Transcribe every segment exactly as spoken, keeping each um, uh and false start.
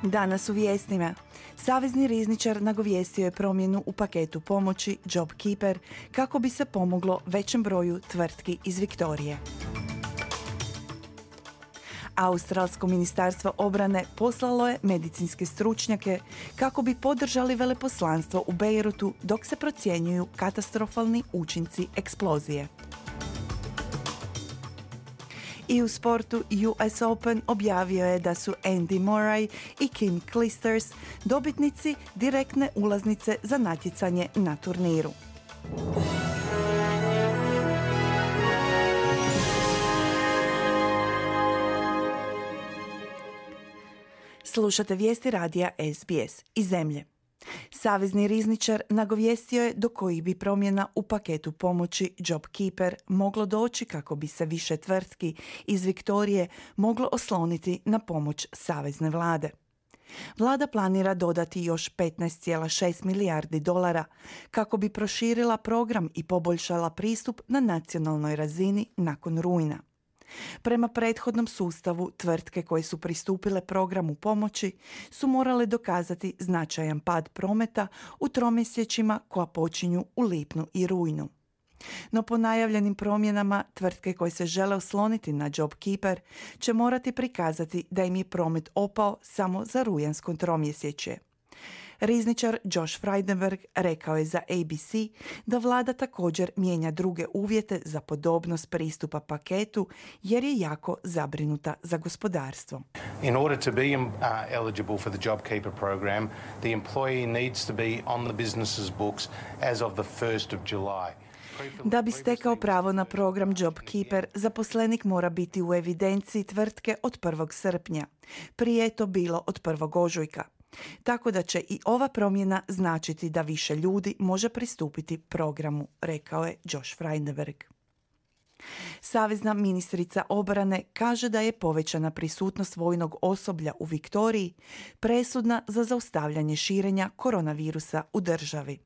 Danas u vijestima. Savezni rizničar nagovijestio je promjenu u paketu pomoći JobKeeper kako bi se pomoglo većem broju tvrtki iz Viktorije. Australsko ministarstvo obrane poslalo je medicinske stručnjake kako bi podržali veleposlanstvo u Bejrutu dok se procjenjuju katastrofalni učinci eksplozije. I u sportu U S Open objavio je da su Andy Murray i Kim Clijsters dobitnici direktne ulaznice za natjecanje na turniru. Slušate vijesti radija S B S iz zemlje. Savezni rizničar nagovijestio je do kojih bi promjena u paketu pomoći JobKeeper moglo doći kako bi se više tvrtki iz Viktorije moglo osloniti na pomoć savezne vlade. Vlada planira dodati još petnaest zarez šest milijardi dolara kako bi proširila program i poboljšala pristup na nacionalnoj razini nakon rujna. Prema prethodnom sustavu, tvrtke koje su pristupile programu pomoći su morale dokazati značajan pad prometa u tromjesečjima koja počinju u lipnju i rujnu. No po najavljenim promjenama, tvrtke koje se žele osloniti na JobKeeper će morati prikazati da im je promet opao samo za rujansko tromjesečje. Rizničar Josh Frydenberg rekao je za A B C da vlada također mijenja druge uvjete za podobnost pristupa paketu jer je jako zabrinuta za gospodarstvo. In order to be uh, eligible for the JobKeeper program, the employee needs to be on the business's books as of the first of July. Da bi stekao pravo na program JobKeeper, zaposlenik mora biti u evidenciji tvrtke od prvog srpnja. Prije je to bilo od prvog ožujka. Tako da će i ova promjena značiti da više ljudi može pristupiti programu, rekao je Josh Frydenberg. Savezna ministrica obrane kaže da je povećana prisutnost vojnog osoblja u Viktoriji presudna za zaustavljanje širenja koronavirusa u državi.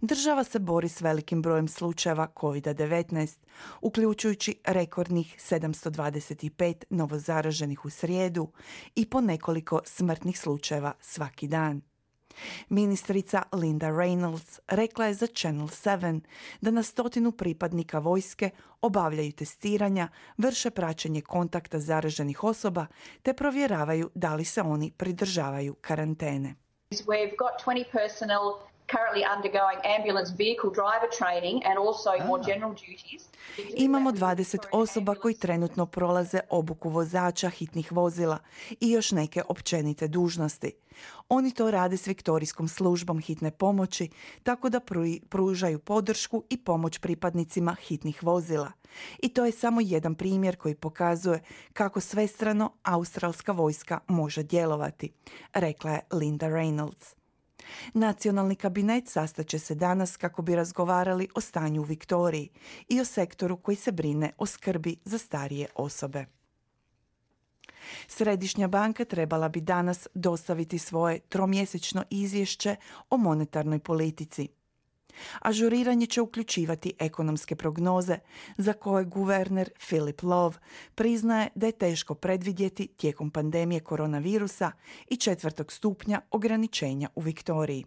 Država se bori s velikim brojem slučajeva covid devetnaest, uključujući rekordnih sedamsto dvadeset pet novozaraženih u srijedu i po nekoliko smrtnih slučajeva svaki dan. Ministrica Linda Reynolds rekla je za Channel sedam da na stotinu pripadnika vojske obavljaju testiranja, vrše praćenje kontakta zaraženih osoba te provjeravaju da li se oni pridržavaju karantene. We've got twenty personnel currently undergoing ambulance vehicle driver training and also more general duties. Imamo dvadeset osoba koji trenutno prolaze obuku vozača hitnih vozila i još neke općenite dužnosti. Oni to rade s Viktorijskom službom hitne pomoći, tako da pružaju podršku i pomoć pripadnicima hitnih vozila. I to je samo jedan primjer koji pokazuje kako svestrano australska vojska može djelovati, rekla je Linda Reynolds. Nacionalni kabinet sastaće se danas kako bi razgovarali o stanju u Viktoriji i o sektoru koji se brine o skrbi za starije osobe. Središnja banka trebala bi danas dostaviti svoje tromjesečno izvješće o monetarnoj politici. Ažuriranje će uključivati ekonomske prognoze za koje guverner Philip Lowe priznaje da je teško predvidjeti tijekom pandemije koronavirusa i četvrtog stupnja ograničenja u Viktoriji.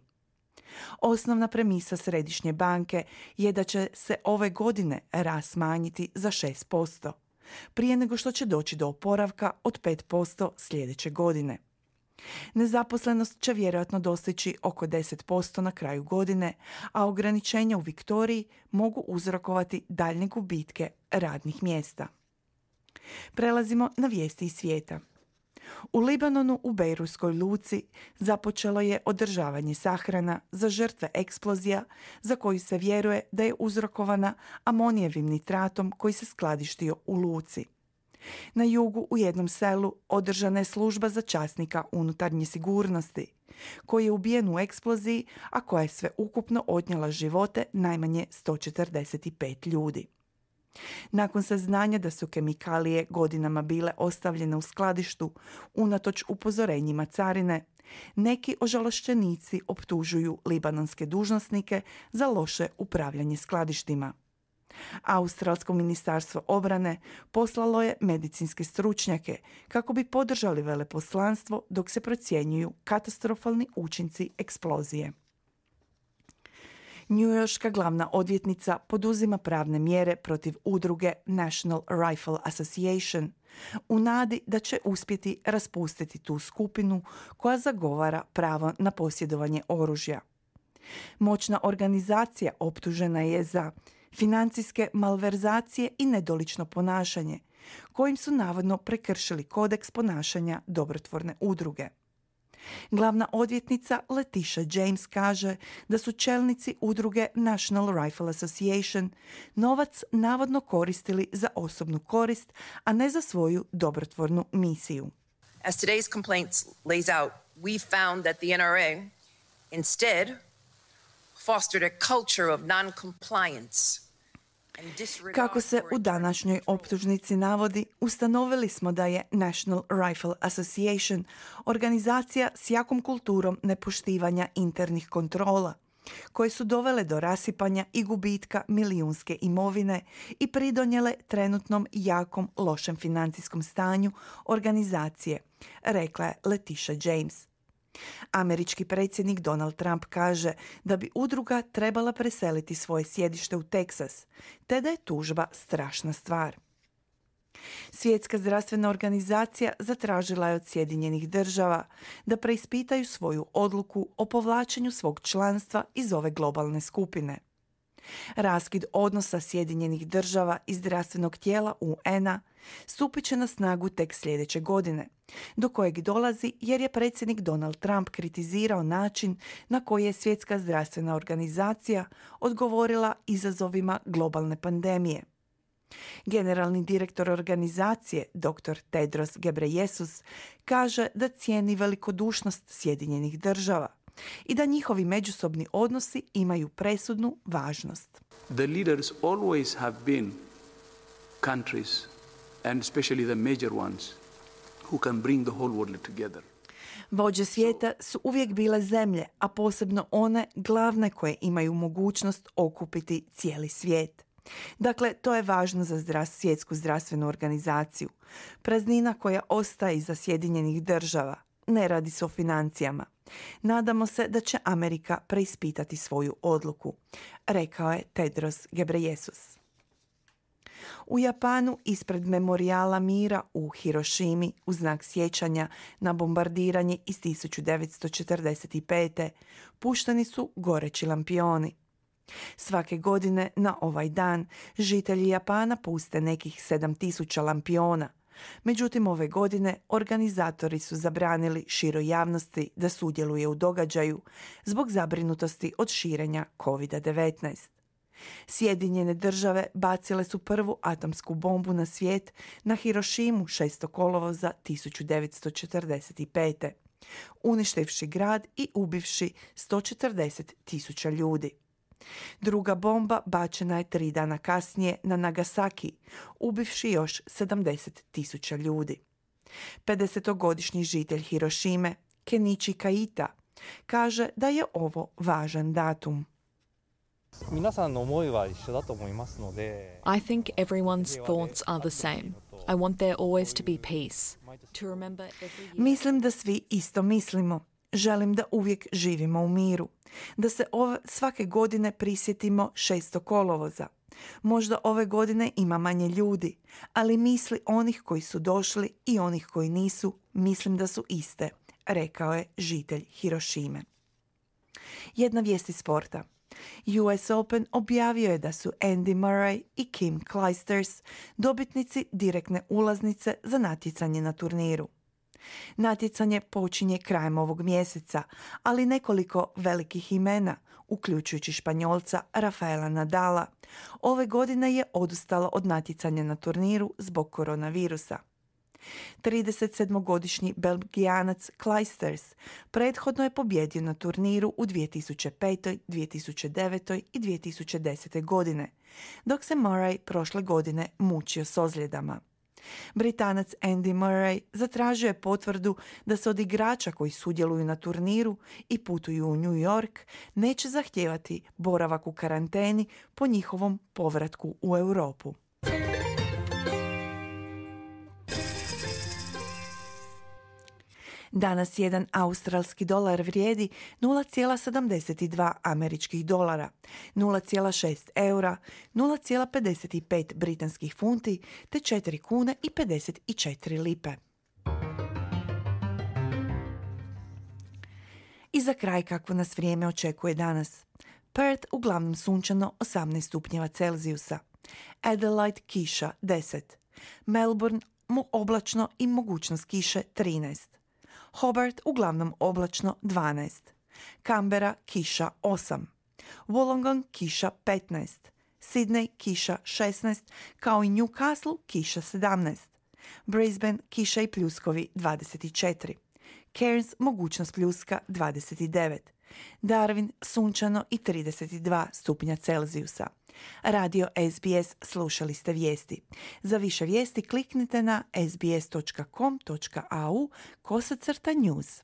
Osnovna premisa Središnje banke je da će se ove godine rast smanjiti za šest posto, prije nego što će doći do oporavka od pet posto sljedeće godine. Nezaposlenost će vjerojatno dostići oko deset posto na kraju godine, a ograničenja u Viktoriji mogu uzrokovati daljnje gubitke radnih mjesta. Prelazimo na vijesti iz svijeta. U Libanonu u Bejrutskoj luci započelo je održavanje sahrana za žrtve eksplozija za koju se vjeruje da je uzrokovana amonijevim nitratom koji se skladištio u luci. Na jugu u jednom selu održana je služba za časnika unutarnje sigurnosti, koji je ubijen u eksploziji, a koja je sve ukupno odnijela živote najmanje sto četrdeset pet ljudi. Nakon saznanja da su kemikalije godinama bile ostavljene u skladištu unatoč upozorenjima carine, neki ožalošćenici optužuju libanonske dužnosnike za loše upravljanje skladištima. Australsko ministarstvo obrane poslalo je medicinske stručnjake kako bi podržali veleposlanstvo dok se procjenjuju katastrofalni učinci eksplozije. Njujorška glavna odvjetnica poduzima pravne mjere protiv udruge National Rifle Association u nadi da će uspjeti raspustiti tu skupinu koja zagovara pravo na posjedovanje oružja. Moćna organizacija optužena je za financijske malverzacije i nedolično ponašanje, kojim su navodno prekršili kodeks ponašanja dobrotvorne udruge. Glavna odvjetnica Letitia James kaže da su čelnici udruge National Rifle Association novac navodno koristili za osobnu korist, a ne za svoju dobrotvornu misiju. As today's complaint lays out, we found that the N R A instead fostered a culture of non-compliance. Kako se u današnjoj optužnici navodi, ustanovili smo da je National Rifle Association organizacija s jakom kulturom nepoštivanja internih kontrola, koje su dovele do rasipanja i gubitka milijunske imovine i pridonijele trenutnom jakom lošem financijskom stanju organizacije, rekla je Letitia James. Američki predsjednik Donald Trump kaže da bi udruga trebala preseliti svoje sjedište u Teksas, te da je tužba strašna stvar. Svjetska zdravstvena organizacija zatražila je od Sjedinjenih država da preispitaju svoju odluku o povlačenju svog članstva iz ove globalne skupine. Raskid odnosa Sjedinjenih država i zdravstvenog tijela U N-a stupit će na snagu tek sljedeće godine, do kojeg dolazi jer je predsjednik Donald Trump kritizirao način na koji je Svjetska zdravstvena organizacija odgovorila izazovima globalne pandemije. Generalni direktor organizacije, doktor Tedros Ghebreyesus, kaže da cijeni velikodušnost Sjedinjenih država i da njihovi međusobni odnosi imaju presudnu važnost. The leaders always have been countries, and especially the major ones, who can bring the whole world together. Vođe svijeta su uvijek bile zemlje, a posebno one glavne koje imaju mogućnost okupiti cijeli svijet. Dakle, to je važno za zdrav, svjetsku zdravstvenu organizaciju. Praznina koja ostaje iza Sjedinjenih država. Ne radi se o financijama. Nadamo se da će Amerika preispitati svoju odluku, rekao je Tedros Ghebreyesus. U Japanu ispred memorijala mira u Hirošimi u znak sjećanja na bombardiranje iz tisuću devetsto četrdeset pete. pušteni su goreći lampioni. Svake godine na ovaj dan žitelji Japana puste nekih sedam tisuća lampiona. Međutim, ove godine organizatori su zabranili široj javnosti da sudjeluje u događaju zbog zabrinutosti od širenja kovid devetnaest. Sjedinjene države bacile su prvu atomsku bombu na svijet na Hirošimu šestog kolovoza tisuću devetsto četrdeset pete. uništivši grad i ubivši sto četrdeset tisuća ljudi. Druga bomba bačena je tri dana kasnije na Nagasaki, ubivši još sedamdeset tisuća ljudi. pedesetogodišnji žitelj Hirošime, Kenichi Kaita, kaže da je ovo važan datum. I think everyone's thoughts are the same. I want there always to be peace. To remember every year... Mislim da svi isto mislimo. Želim da uvijek živimo u miru. Da se ove, svake godine prisjetimo šestog kolovoza. Možda ove godine ima manje ljudi, ali misli onih koji su došli i onih koji nisu, mislim da su iste, rekao je žitelj Hirošime. Jedna vijest iz sporta. U S Open objavio je da su Andy Murray i Kim Clijsters dobitnici direktne ulaznice za natjecanje na turniru. Natjecanje počinje krajem ovog mjeseca, ali nekoliko velikih imena, uključujući Španjolca Rafaela Nadala, ove godine je odustalo od natjecanja na turniru zbog koronavirusa. tridesetsedmogodišnji Belgijanac Clijsters prethodno je pobjedio na turniru u dvije tisuće pete, dvije tisuće devete i dvije tisuće desete godine, dok se Murray prošle godine mučio s ozljedama. Britanac Andy Murray zatražio je potvrdu da se od igrača koji sudjeluju na turniru i putuju u New York neće zahtijevati boravak u karanteni po njihovom povratku u Europu. Danas jedan australski dolar vrijedi nula zarez sedamdeset dva američkih dolara, nula zarez šest eura, nula zarez pedeset pet britanskih funti te četiri kune i pedeset četiri lipe. I za kraj kakvo nas vrijeme očekuje danas. Perth uglavnom sunčano osamnaest stupnjeva Celzijusa, Adelaide kiša deset, Melbourne oblačno i mogućnost kiše trinaest, Hobart uglavnom oblačno dvanaest, Canberra kiša osam, Wollongong kiša petnaest, Sydney kiša šesnaest, kao i Newcastle kiša sedamnaest, Brisbane kiša i pljuskovi dvadeset četiri, Cairns mogućnost pljuska dvadeset devet, Darwin sunčano i trideset dva stupnja Celzijusa. Radio S B S, slušali ste vijesti. Za više vijesti kliknite na sbs dot com dot a u kosacrta news.